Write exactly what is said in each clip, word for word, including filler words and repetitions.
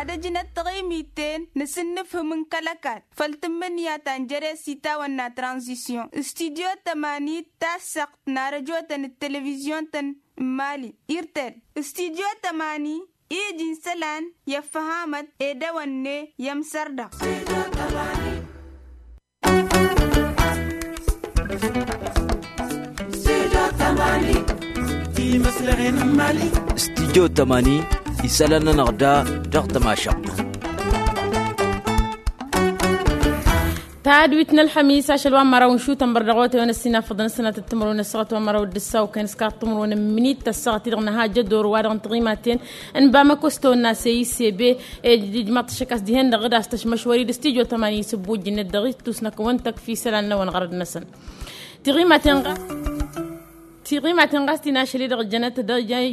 Ad-ăjnăt taɣimit-en n-asǝnnǝfhǝm n-kăl-ăkall făll-tǝmmǝnǝya ta n-jere s-itawănna tranzisyon. Studyo tămani, tassăɣt n-arăjotăn d-televizyon-tăn n-mali irtel. Studyo tămani iji n-isălan i-ăffăhamăt ed ewănne i-ămsărdăɣ. Studyo tămani, isălan-nănăɣ da dăɣ-tămašăɣt. Tadwit n-ălxămis ašăl wa n-măraw n-išutăn bărdăɣotăyăn ăssinafăḍăn ăssinatăt timǝrwen ăssaɣăt wa n-măraw d-ǝssaw kăyăn s-kaḍ timǝrwen n-minit ăssaɣăt-i-dăɣ n-ahajădor wa-dăɣ n-tiɣimaten n-bamăko s-tawănna s-e-i s-e-be. Ed ijmaḍ-t ăššăk a-s dihen-dăɣ d-a-s tăšmăšwăr-dd s-tijo tămani s-ăbbuj-net dăɣ-ittus n-akăwăn-tăkf isălan-năwăn ɣărăd-năsăn. Tiɣimaten ɣas tiɣimaten ɣas ti n-ašăl-i-dăɣ jănăt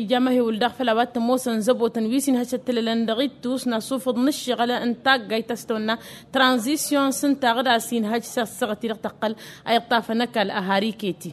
ija amăhewǝl daɣ făll-a-wa t-ămoosăn zăbotăn wi s-inhăš ăttălălăn dăɣ-ittus n-asufǝḍ n-ǝššăɣǝl n-taggayt ta s-tăwănna tranzisyon s-ǝnta ɣǝd a-s inhăj s-ăssaɣăt-i-dăɣ tăqqăl a iṭṭafăn ăkall ăhar iket-i.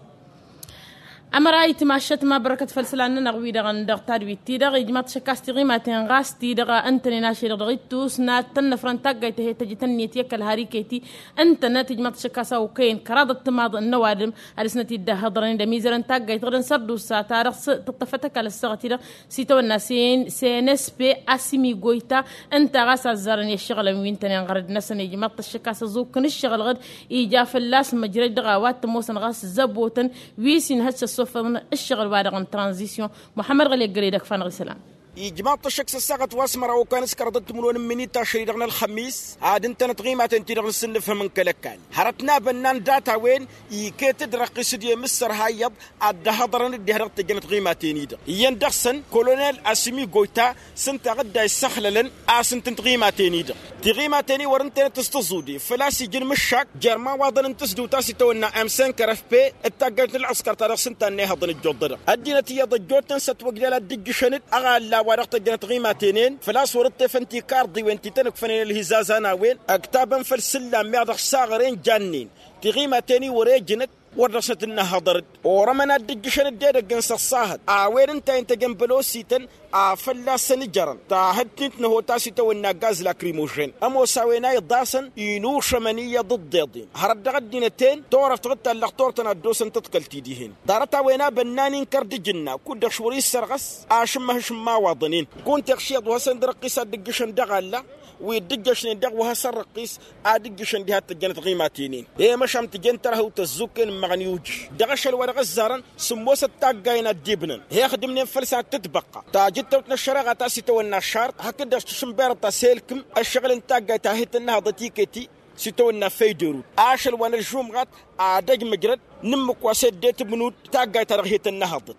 Ămăra itmašăt ma bărkăt făll-isălan-nănăɣ-wi-dăɣ dăɣ-tadwit-ti-dăɣ ijmaḍ-t šăkkas tiɣimaten ɣas ti-dăɣ ǝntănen ašăl-i-dăɣ dăɣ-ittus n-ad-tăn-năfrăn taggayt a he-tăjjăt ǝnniyăt i-ăkall har iket-i. Ǝntănăt ijmaḍ-t šăkkas a okăyăn kăraḍăt timaḍ n-ăwadǝm ad-dăr-snăt-dd-ăhhăḍrăn d-ămizărăn taggayt ɣǝdăn sărdusa ta dăɣ-s tǝṭṭăfăt ăkall ăssaɣăt-i-dăɣ s-itawănna s-e n s-e n s p asimi goyta. Ǝnta ɣas a ăzzarăn i-ăššăɣǝlăn wi ǝntănen ɣărăd-năsăn ijmaḍ-t ăššăk a-s ăẓukǝn ǝššăɣǝl ɣǝd ija fălla-s măjrăj dăɣ-a-wa t-ămoosăn ɣas zăbotăn wi s-inhăš s-ăssofăḍăn ǝššăɣǝl-wa-dăɣ n-tranzisyon. Muḥămmăd ɣăli ăggălăy d-ăkfa-năɣ isălan. Ijmaḍ-t ăššăk s-ăssaɣăt wa s-măraw okăyăn s-kăraḍăt timǝrwen n-minit ašăl-i-dăɣ n-ălxămis ad-ǝntănăt tiɣimaten-ti-dăɣ n-sǝnnǝfhǝm n-kăl-ăkall hărăt n-abănnan data-wen iket-dd răqqis d-i-mǝssăr hayyăḍ ad-dd-ăhhăḍărăn dd-iha dăɣ-tăjjănăt tiɣimaten-i-dăɣ iyyăn dăɣ-săn kolonel asǝmi goyta s-ǝnta ɣǝdda isăxlălăn a-s ǝntǝn tiɣimaten-i-dăɣ. Tiɣimaten-i wăr-ǝntănăt s-tǝẓude făl-a-s ija n-imǝššak jer-imawaḍăn n-tǝsdǝwt a-s itawănna m cinq r f p d-taggayt n-ălɣăskăr ta dăɣ-s ǝnta ănnihăḍăn ǝjjuḍădăɣ ăddinăt iyyăḍ ăjjootnen s-ătwăjdal ad-dd-ǝjjǝšăn-dd aɣalla wa dăɣ-tăjjănăt tiɣimaten-en făl-a-s wăr-ǝṭṭefăn tikar-ḍiwen ti tăn-ǝkfănen ălhizazan a-wen ǝktabăn făll-isǝllan meɣ dăɣ-saɣăren jannen. Tiɣimaten-i wăr-e jǝnăt wăr dăɣ-snăt ǝnnăhhăḍăr-dd orămăn ad-dd-ǝjjǝšăn-dd edăgg n-săṣṣahăt a-wen ǝnta a intăjăn bălosităn a fălla-săn ǝjărăn tahǝttint n-ehot a-s itawănna gaz lakrimožen ămoos a-wen a iḍasăn inušămăn iyyăḍ ǝḍḍeḍen hărăt dăɣ-ăddinăt-en turăft ɣǝd tallăɣ turtăn ad-dd-osăn tăḍkălt-i dihen. Ḍarăt-a-wen a bănnan inkăr d-ǝjǝnna kud-dăɣ šwăr-i s-sărɣăs ašǝmmăhǝš n-imawaḍăn-en. Kunta iɣš iyyăḍ wa hasăn-dd răqqis ad-dd-ǝjjǝšăn dăɣ-alla wi dd-ǝjjăšnen dăɣ-wa hasăn-răqqis ad-ǝjjǝšăn diha t-ăjjănăt tiɣimaten-in. I-măšan tǝjen tărhăwt ăzzukken ǝmmăɣăn i-ujǝš dăɣ-ašăl wa dăɣ-ăzzarăn sǝmmosăt taggayen ad-dd-ibnăn he-ixdǝmnen făll-săn ad-tǝtbăqqa tajǝttăwt n-ăššăreɣa ta s-itawănna aššar hakd-dăɣ s-tǝšǝnberăt a-s elkǝm ăššăɣǝl n-taggayt ta he-tăn-nǝhăḍăt iket-i s-itawănna făydărut ašăl wa n-ăžžumɣat ad-ăj măjrăd n-ǝmmǝk wa s-eddet ǝbnud taggayt ta dăɣ-he-tăn-nǝhăḍăt.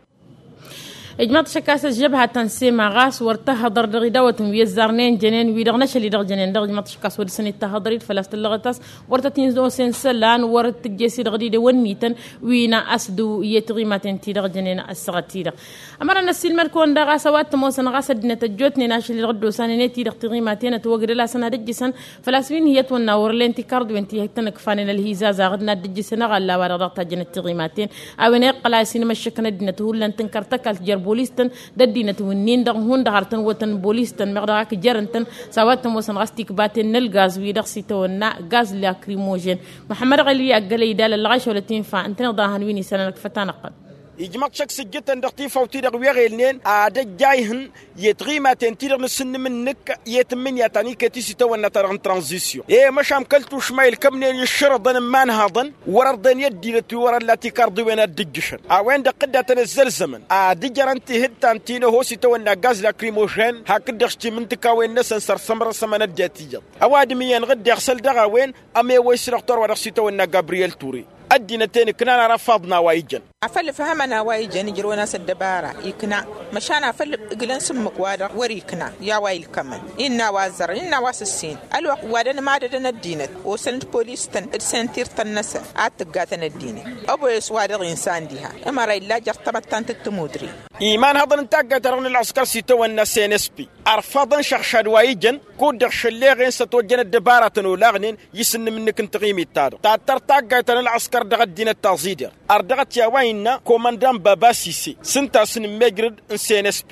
Ijmăḍ-t šăkkas ăžžăbha ta n-sema ɣas wăr tăhhăḍăr dăɣ-idawătăn wi ăzzarnen jănen wi-dăɣ n-ašăl-i-dăɣ jănen dăɣ-ijmăḍ-t šăkkas wăr dăr-săn ittăhhăḍăr-dd făl-a-s tǝllăɣăt a-s wăr tăt-in-osen isălan wăr tǝjj'-e-s-i-dăɣ d-idewănnităn wi n-a-s dăw-i i-tiɣimaten-ti-dăɣ jănen ăssaɣăt-i-dăɣ. Ămăra n-ăssiilmăd-kăwăn daɣ a-s a-wa t-ămoosăn ɣas ăddinăt ăjjootnen ašăl-i-dăɣ dd-osanen i-tiɣimaten ătwăgdăl-asăn ad-ǝjjǝsăn făl-a-s wi n-hi-ătwănna wăr len tikarḍwen ti tăn-ǝkfanen ălhizazăɣ d-n-ad-dd-ǝjjǝsăn aɣalla wa-dăɣ dăɣ-tajjănăt tiɣimaten a-wen a iqqăl a-s inmăššăkăn ăddinăt hullan tǝnkăr tăkalt jer-bolistăn d-ăddinăt wǝnnin-dăɣ hundăɣ har tăn-wătăn bolistăn meɣ dăɣ-ak jer-ǝntăn. S-a-wa t-ămoosăn ɣas tikbaten n-ălgaz-wi-dăɣ s-itawănna gaz lakrimožen. Măḥămmăd ɣăli ăggălăy d-alăllăɣ a išăwălăt infa ǝntăneḍ a hăn wi n-isălan ăkfăt-anăɣ-tăn. Ijmăḍ-t šăkk s-ǝjjǝtăn dăɣ-tifawt-i-dăɣ wi ăɣelnen ad-ăjjayhǝn i-tiɣimaten-ti-dăɣ n-asǝnnǝm-nǝk i-tǝmmǝnǝya ta n-iket-i s-itawănna-ta-dăɣ n-tranzisyon i-măšan kăl-tušma ilkămnen iššărăḍăn n-imanhaḍăn wăr-ărḍen i-ăddinăt wi wăr-ălla tikarḍiwen ad-dd-ǝjjǝšăn a-wen-dăɣ tǝdda tăn-ăzzălzămăn ad-ǝjărăn tihǝttan ti n-ăho s-itawănna gaz lakrimožen hakd-dăɣ s-timǝntǝkawen-năsăn săr-sămrăsămăn ăddinăt iyyăḍ. Ăwadǝm iyyăn ɣǝddeɣ săl dăɣ-a-wen ămewăy s-dăɣ-turwa dăɣ-s-itawănna gabriyel ture ăddinăt-en ǝknan arăfaḍ n-a-wa ijăn. Afăl ǝfhămăn a-wa ijăn ǝjrăwăn a-s ăddăbara ikna. Măšan afăl ǝglăn s-ǝmmǝk-wa-dăɣ wăr-ikna i-a-wa ilkămăn innă a-wa ăzzărăn innă a-wa s-ǝssin. Ălwăqq wa dăr-nǝmadădăn ăddinăt osăn-dd polis-tăn d-sentir-tăn-năsăn ad-tǝggatăn ăddinăt. Ăboyăs wa dăɣ-insan diha ămăra illa jer-tamăttant d-tămudre. Imanhăḍăn n-taggayt-ta-dăɣ n-ălɣăskăr s-itawănna s-n s p ărfaḍăn šăɣšad wa ijăn kud-dăɣ šălleɣen s-ătwăjjăn ăddăbaratăn olaɣnen i-isǝnnǝm-nǝk n-tiɣimit-ta-dăɣ tattăr taggayt ta n-ălɣăskăr dăɣ-ăddinăt taẓidert. Ărdăɣăt i-a-wa innă komăndan baba sise s-ǝnta a-s n-immejrăd n-s n s p.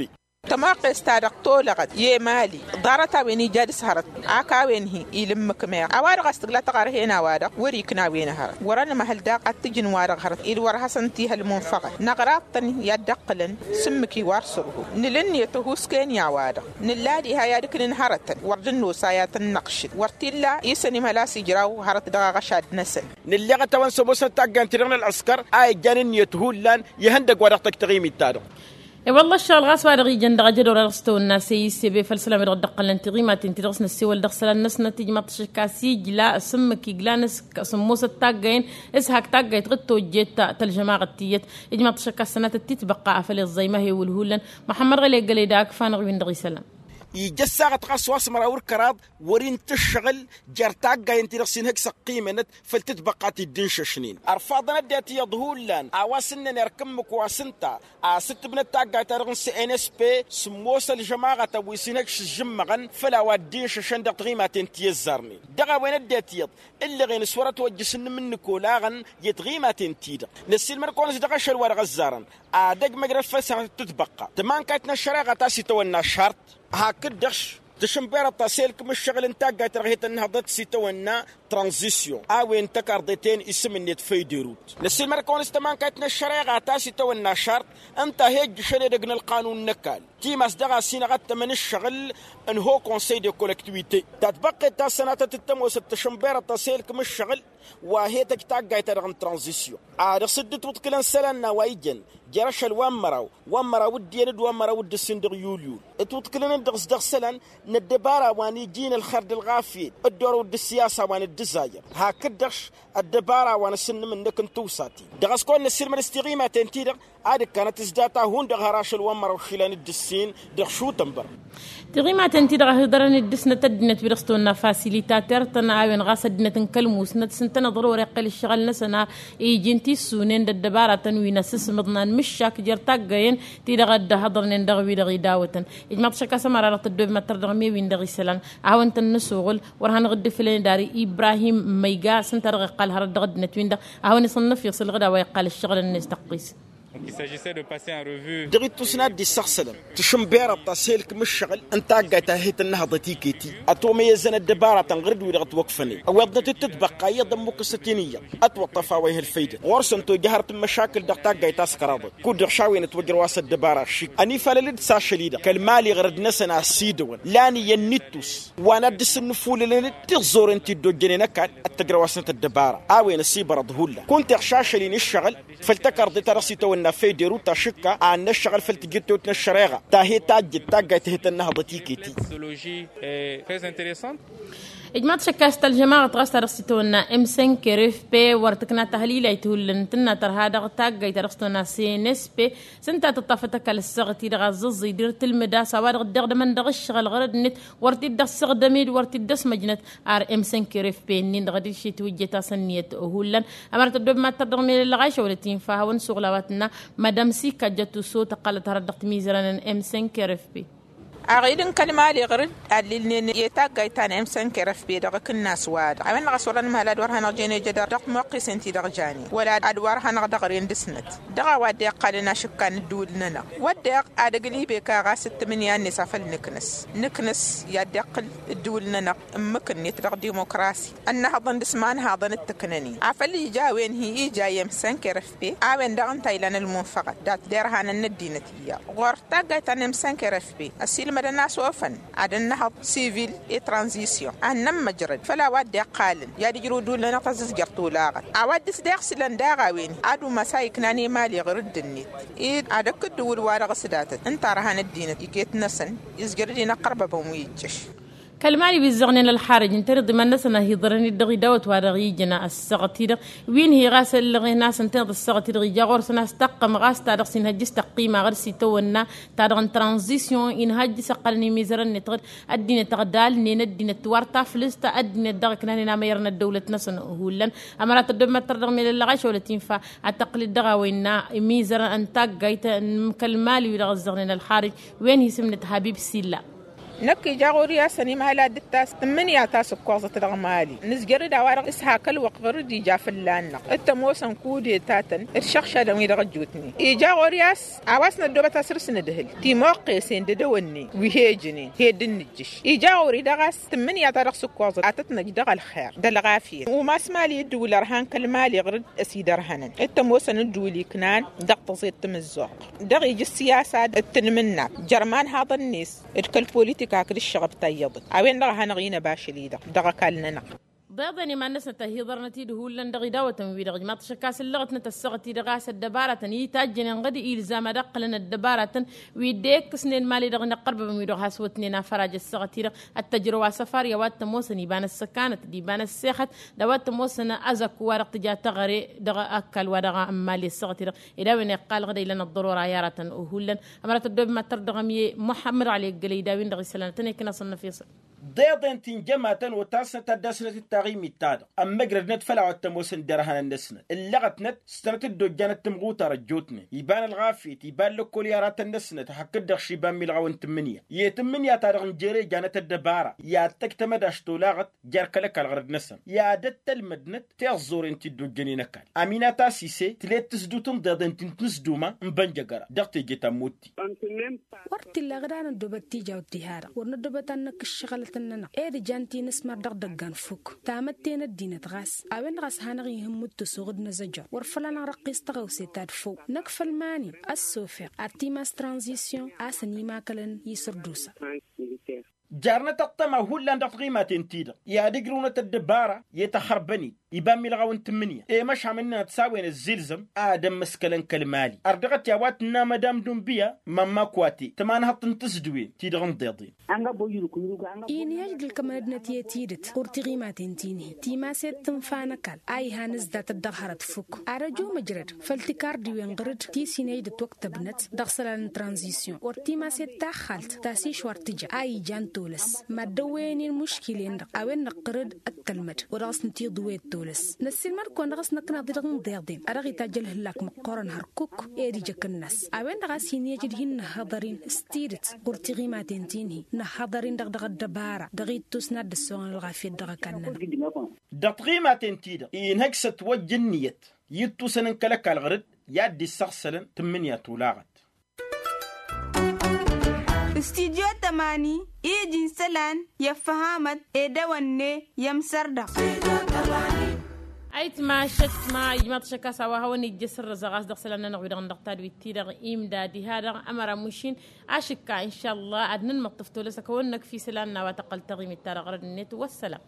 Tămoqqes-ta-dăɣ tolăɣăt i-emali ḍarăt-a-wen ija dăɣ-s hărăt. Ak a-wen-hi-il ǝmmǝk meɣ a-wa-dăɣ a-s tǝgla tăɣarhe n-a-wa-dăɣ wăr-ikna a-wen hărăt wăr-ănmăhăl daɣ ad-t-ǝjǝn wa-dăɣ hărăt-i-dd wăr hasăn-t-ihăl munfăɣăt năɣraḍ-tăn i-ad-dd-ǝqqǝlăn. S-ǝmmǝk-i wa ărsărhu nǝla ǝnniyăt ăhuusken i-a-wa-dăɣ nǝlla diha i-ad-ǝknǝn hărătăn wăr dd-ănnos a i-ad-tăn-năɣšǝd wăr t-illa isăn imhăl a-s ijraw hărăt dăɣ-aɣăšad-năsăn. Nǝlleɣăt-awăn s-ămoosăn taggayăn-ti-dăɣ n-ălɣǝskăr a ijjan ǝnniyăt hullan ihăndăgg wa dăɣ-tăkk taɣimit-ta-dăɣ. E-wălla ăššăɣǝl ɣas wa-dăɣ ijăn dăɣ-ajădor a dăɣ-s tăwănna seyis sebe făll-isălan wi-dăɣ dd-ăqqălăn tiɣimaten-ti-dăɣ s-năssewăl dăɣ-isălan-năsnăt ijmăḍ-t ašăkka s-ijla s-ǝmmǝk igla n-ăsk s-ămoosăt taggayăn s-hak taggayt ɣǝd-tojjet. Tălžămaɣăt tiyyăt ijmăḍ-t ašăkka s-sănatăt titbăqqa a făl iẓẓăy ma he-wǝlhullan. Măxămmăd ɣăle gălăy d-akǝfa-năɣ wi n-dăɣ-isălan. Ija ăssaɣăt ɣas wa s-măraw d-kăraḍ wăr-in tǝššăɣǝl jer-taggayăn-ti-dăɣ s-inhăj s-ăqqimănăt făll-tǝtbăqqa ti dd-inšăšnen. Ărfaḍăn ăddinăt iyyăḍ hullan a-wa s-ǝnnăn erk ǝmmǝk wa s-ǝnta a-s ǝttǝbnăt taggayt-ta-dăɣ n-cnsp sǝmmos ălžămaɣătăn wi s-inhăj s-ǝžžǝmmăɣăn făll-a-wa dd-inšăšăn dăɣ-tiɣimaten ti ăzzarnen. Dăɣ-a-wen ăddinăt iyyăḍ ǝllăɣen s-wăr-ătwăjjăš ǝnnǝm n-ǝnnikolaɣăn i-tiɣimaten-ti-dăɣ. Năssiilmăd-kăwăn-s dăɣ-ašăl wa dăɣ-ăzzarăn ad-ăjmăjrăd făll-sănatăt tǝtbăqqa tămankayt n-ăššăreɣa ta s-itawănna šart. Hakd-dăɣ-š tǝšǝnberăḍ ta s-elkǝm ǝššăɣǝl n-taggayt-ta-dăɣ he-tăn-nǝhăḍăt s-itawănna tranzisyon a-wen tăkarḍe-ten isǝm-net făyderut. Năssiilmăd-kăwăn s-tămankayt n-ăššăreɣa ta s-itawănna šart ǝnta a he-ǝjjǝšăn edăgg n-ălqanun n-ăkall timas daɣ a-s inăɣ ad-tămăn ǝššăɣǝl n-ho konsăy de kolektiwite. Tatbăqqet ta s-sănatăt d-tămoosăt tǝšǝnberăḍ ta s-elkǝm ǝššăɣǝl wa he-tăj taggayt-ta-dăɣ n-tranzisyon a dăɣ-s dd-ǝtwǝḍkǝlăn isălan n-a-wa ijăn jer-ašăl wa n-măraw wa n-măraw d-iyyăn d-wa n-măraw d-ǝssin dăɣ-yulyul. Ǝtwǝḍkǝlăn-in dăɣ-s dăɣ-isălan n-ăddăbara wa n-iji n-ălxer d-ălɣafyăt d-orăw d-ǝssiyasa wa n-ăddǝzayăr hakd-dăɣ-š ăddăbara wa n-asǝnnǝm-năk n-tiwsaten. Dăɣ-s kăwăn-năssiilmăd s-tiɣimaten-ti-dăɣ ad-ǝkkanăt s-data hundăɣ har ašăl wa n-măraw išilan d-ǝssin dăɣ-šutănbăr. Tiɣimaten-ti-dăɣ a hi-ḍărăn d-dăr-snăt ăddinăt wi dăɣ-s tăwănna fasilitatăr-tăn a-wen ɣas ăddinăt n-kăl-musnăt s-ǝntăneḍ ɣur-iqqel ǝššăɣǝl-năsăn a iji n-tissunen d-ăddăbaratăn wi n-asǝsmǝḍnan mǝššak jer-taggăyen ti-dăɣ a dd-ăhhăḍărnen dăɣ-wi-dăɣ idawătăn. Ijmaḍ šăkk a-s ămăra dăɣ-tăddoobem ad-tărdăɣ mewin dăɣ-isălan ad-hawăn-tăn-nǝsuɣǝl wăr hanăɣ-dd-ǝfǝlăn d-ar ibrahim măyga s-ǝnta dăɣ-iqqal hărăt dăɣ-ăddinăt-win-dăɣ ad-hawăn-isănnăf iṣǝlɣǝd a-wa iqqal ǝššăɣǝl-net tăqqis. Dăɣ-ittus n-ad-dd-issăɣsălăn tǝšǝnberăḍ ta s-helkǝm ǝššăɣǝl n-taggayt ta he-tăn-nǝhăḍăt iket-i ătomăyyăzăn ăddăbaratăn ɣur-dd wi-dăɣ ătwăkfănen ăwweḍnăt d-tǝtbăqqa iyyăḍ ămmukkăsăt-in iyyăḍ ătwăṭṭăf a-wa ih' ălfăydăt ɣur-săn tojjăhăr tǝmmăšakǝl dăɣ-taggayt ta s-kăraḍăt kud-dăɣ šawăyăn ătwăjrăw a-s ăddăbara ăššik ănifalăl-dd s-ašăl-i-dăɣ kăl-mali ɣărăd-năsăn a ăsidăwăn lan iyyăn n-ittus wa n-ad-dd-sǝnnǝfulălăn d-tiẓẓoren ti dd-ojjănen ăkall ad-t-ăjrăw-asnăt ăddăbara a-wen ăsibărăḍ hullan kunta iɣš ašăl-in ǝššăɣǝl făll-tăkarḍe-ta-dăɣ s-itawănna făyderut ašǝkka a ănnăššăɣǝl făll-tijǝttewt n-ăššăreɣa ta he-tajjăt taggayt ta he-tăn-nǝhăḍăt iket-i. Ijmaḍ šăkk a-s tălžămaɣăt ɣas ta dăɣ-s itawănna m cinq r f p wăr tǝkna tahlilayt hullan tǝnna tărha dăɣ-taggayt ta dăɣ-s itawănna cnsp s-ǝnta tǝṭṭafăt ăkall ăssaɣăt-i-dăɣ a ăẓẓăẓẓăy d-irtǝlmǝd a-s a-wa-dăɣ dd-iɣdămăn dăɣ-ǝššăɣǝl ɣărăd-net wăr t-dd-ăssăɣdăm-dd wăr t-dd-ăsmăjnăt ar m cinq r f p-nin-dăɣ ad-dd-išitwǝjjet a-s ǝnniyăt hullan. Ămărat ăddoobem ad-tărdăɣ melăllăɣ a išăwlăt infa a hawăn-suɣǝl a-wa tǝnna madam sika jătuso tăqqălăt hărăt dăɣ-timizărăn n-m cinq r f p. Aɣil n-kăl-mali ɣǝr-dd allilnen i-taggayt ta n-m cinq r f p dăɣ-akǝnnas-wa-dăɣ a-wen-dăɣ a-s wăr-ănmăhăl ad-wăr hanăɣ-jen ejădăr dăɣ-timoqqisen-ti-dăɣ janen wăla ad-wăr hanăɣ-dăɣren dăr-snăt. Dăɣ-a-wa dd-iqqalăn ašǝkka n-ǝddǝwǝl-nănăɣ wădden ad-ăglibek a ɣas ǝttǝmǝnǝya-net a făl nǝknǝs nǝknǝs i-ad-iqqǝl ǝddǝwǝl-nănăɣ ǝmmǝk-net dăɣ-dimokrasi ănnăhăḍăn dăr-s ma n-haḍăn d-tǝknănen. Afăl ija a-wen hi-ija i-m cinq r f p a-wen daɣ ǝnta a ilan ălmunfăɣăt dat-derhanăn n-ăddinăt iyyăḍ ɣur-taggayt ta n-m cinq r f p ăsiilmădăn a-s ofăn ad-ănnăhăḍ sivil i-tranzisyon ad-nămmăjrăd făll-a-wa dd-iqqalăn i-ad-ǝjrǝw ǝddǝwǝl-nănăɣ tăẓǝzjărt olaɣăt a-wa dd-s deɣ s-ilăn daɣ a-wen ad-umas a iknan i-mali ɣǝr-dd-net ed ad-ăkk ǝddǝwǝl-wa-dăɣ s-datăt ǝnta ărhan ăddinăt iket-năsăn izjăr d-inăqqărbăbăn wi ijjăš. Kăl-mali wi ǝzzăɣnen ălxarǝj ǝntăneḍ iman-năsăn a hi-iḍărăn-dd dăɣ-idawăt-wa-dăɣ ijăn ăssaɣăt-i-dăɣ wi n-hi ɣas ăllăɣen a-s ǝntăneḍ ăssaɣăt-i-dăɣ ija ɣur-săn a-s taqqăm ɣas ta dăɣ-s inhăjj s-tăqqima ɣăr-s itawănna ta-dăɣ n-tranzisyon inhăjj s-ăqqălăn imizărăn-net ɣǝd ăddinăt ăɣdalnen ăddinăt tiwar taflǝst ăddinăt daɣ ǝknanen amăyăr n-ăddăwlăt-năsăn hullan. Ămărat ăddoobem ad-tărdăɣ melăllăɣ ašăwlăt infa ad-tăqqǝl-dd dăɣ-a-wa innă imizărăn n-taggayt n-kăl-mali wi-dăɣ ǝzzăɣnen ălxarǝj wen hi-isǝm-net habib silla. Năkk ija ɣur-i a-s ănimala dd-tas tǝmmǝnǝya ta s-ǝkkoẓăt dăɣ-mali nǝzjăr-dd a-wa-dăɣ s-hak ălwăqq ɣur-dd ija fǝllan-năɣ. T-ămoosăn kudetatăn d-išăɣšadăn-wi-dăɣ ăjjootnen ija ɣur-i a-s a-wa s-năddoobăt a-s ǝrs n-ǝdhǝl timoqqesen d-edăwănnen wi he-ǝjǝnen he-dd-nǝjjǝš. Ija ɣur-i-dăɣ a-s tǝmmǝnǝya ta dăɣ-s ǝkkoẓăt a tăt-năj dăɣ-ălxer d-ălɣafyăt umas mali ǝddǝwǝl ărhan kăl-mali ɣur-dd ăsidărhănăn. T-ămoosăn ǝddǝwǝl iknan dăɣ-tăẓeḍt timǝzzuɣt dăɣ-ija s-siyasa d-tanmǝnnat jer-imanhaḍăn-net d-kăl-politika hakd ǝššăɣăb ta iyyăḍ. A-wen-dăɣ a hanăɣ-inăba ašăl-i-dăɣ dăɣ-ăkall-nănăɣ. Ḍeḍen iman-năsnăt ăhiḍărnăt-dd hullan dăɣ-idawătăn-wi-dăɣ ijmaḍ-t ašăk a-s ǝllăɣătnăt ăssaɣăt-i-dăɣ a-s ăddăbarătăn itajjănen ɣǝd ilzam ad-ăqqǝlăn ăddăbarătăn wi dd-ekkǝsnen mali-dăɣ inăqqărbăbăn-wi-dăɣ has-wătnen afăraj ăssaɣăt-i-dăɣ. Ad-tăjrăw asăfar i-a-wa t-ămoosăn iba n-ăssăkanăt d-iba n-ăssexăt d-a-wa t-ămoosăn azăkku wa dăɣ-tǝja teɣăre dăɣ-ăkall wa dăɣ-n mali ăssaɣăt-i-dăɣ. Ed a-wen iqqal ɣǝd a ilăn ăḍḍărora i-aratăn hullan. Ămăra tăddob mad-tărdăɣăm i-muḥămmăd ɣali ăggălăy d-a-wen-dăɣ isălan ad-tăn-ekǝn asănnăf i-săn. Ḍeḍen ti n-jămatăn otasnăt ad-dd-asnăt d-taɣimit-ta-dăɣ ămmăjrădnăt făll-a-wa t-ămoosăn derhanăn-năsnăt ǝllăɣătnăt s-tănăt-dd-ojjanăt timɣutar ăjjootnen iba n-ălɣafyăt iba n-lăkkol i-aratăn-năsnăt hakd-dăɣ šiba n-milɣaw n-tǝmmǝnǝya i-tǝmmǝnǝya-ta-dăɣ n-jere ejjanăt ăddăbara i-ad-tăjtăm ad-ašt tolaɣăt jer-kăl-ăkall ɣărăd-năsăn i-ad-ăttălmădnăt tiẓẓuren ti dd-ojjănen ăkall. Aminata sise tǝlet tǝsdut n-ḍeḍen ti n-tǝsduma n-bănjăgăra dăɣ-teje ta n-motti. Wăr t-illa ɣǝd a năddoobăt tijawt diha-dăɣ wăr năddoobăt ad-năkk ǝššăɣǝlătăn-nănăɣ ed ǝjan ti nǝsmar dăɣ-idăggan fukk. Tamătte n-ăddinăt ɣas a-wen-dăɣ a-s hanăɣ-ihǝmmǝd tǝsuɣ d-inăzăjjăr wăr făl-anăɣ răqqis tăɣawse ta d-făw. Năkk făll-mani ăssofeɣ ad-t-imas tranzisyon a-s ănimakălăn isǝrdusa. Jarnăt ăṭṭăma hullan dăɣ-tiɣimaten-ti-dăɣ i-ad-ǝjrǝwnăt ăddăbara i-tăxxărbăn-dd iba n-milɣaw n-tǝmmǝnǝya i-măšham ǝnnănăt s-a-wen ăzzilzăm ad-ămmăskălăn kăl-mali ărdăɣăt i-a-wa tǝnna madam dunbiya. Mămma kwate tǝmanhăḍt n-tǝzdǝwen-ti-dăɣ n-deḍen. Inhăj d-ǝlkămăn-ădnăt i-tidǝt ɣur-tiɣimaten ti n-hi timaset tǝnfa n-ăkall a ihan-ǝzdatăt dăɣ-hărăt fukk ad-ăjo măjrăd făll-tikardiwen ɣǝr-dd ti s-inhăj d-ătwăktăbnăt dăɣ-isălan n-tranzisyon wăr timaset taxxalt ta s-išwar tǝja a ijan tolăs. Mad-dăwwăyăn i-inmuškil-en-dăɣ a-wen-dăɣ ɣǝr-dd ăttălmăd wa dăɣ-s n-tiḍǝwet tolăs. Năssiilmăd-kăwăn dăɣ-s năkk naḍi dăɣ-inḍeḍen a dăɣ-itajj ălhǝllak măqqoorăn hărkuk ed ija akǝnnas. A-wen-dăɣ a-s hin-iyyăj d-hin-nǝhhăḍăr-in s-tidǝt ɣur-tiɣimaten ti n-hi nǝhhăḍăr-in-dăɣ dăɣ-ăddăbara dăɣ-ittus n-ad-dd-ăssoɣăn ălɣafyăt dăɣ-ăkall-nănăɣ. Dăɣ-tiɣimaten-ti-dăɣ inhăj s-ătwăjja ǝnniyăt i-ǝttusăn n-kăl-ăkall ɣur-dd i-ad-dd-issăɣsălăn tǝmmǝnǝya tolaɣăt. Studyo tămani ija n-isălan i-ăffăhamăt edăwănne i-ămsărda. Ayǝtma ašăk ma ijmaḍ ašăk a-s a-wa hawăn-ijjăš sărrăzăɣ a-s dăɣ-isălan-nănăɣ wi-dăɣ n-dăɣ tadwit-ti-dăɣ imda diha-dăɣ ămăra mušin. Ašǝkka inšalla ad-nǝnmăṭṭǝf tolăs ad-kăwăn-năkf isălan n-a-wa tăqqăl taɣimit-ta-dăɣ ɣărăd-net. Wăssălam.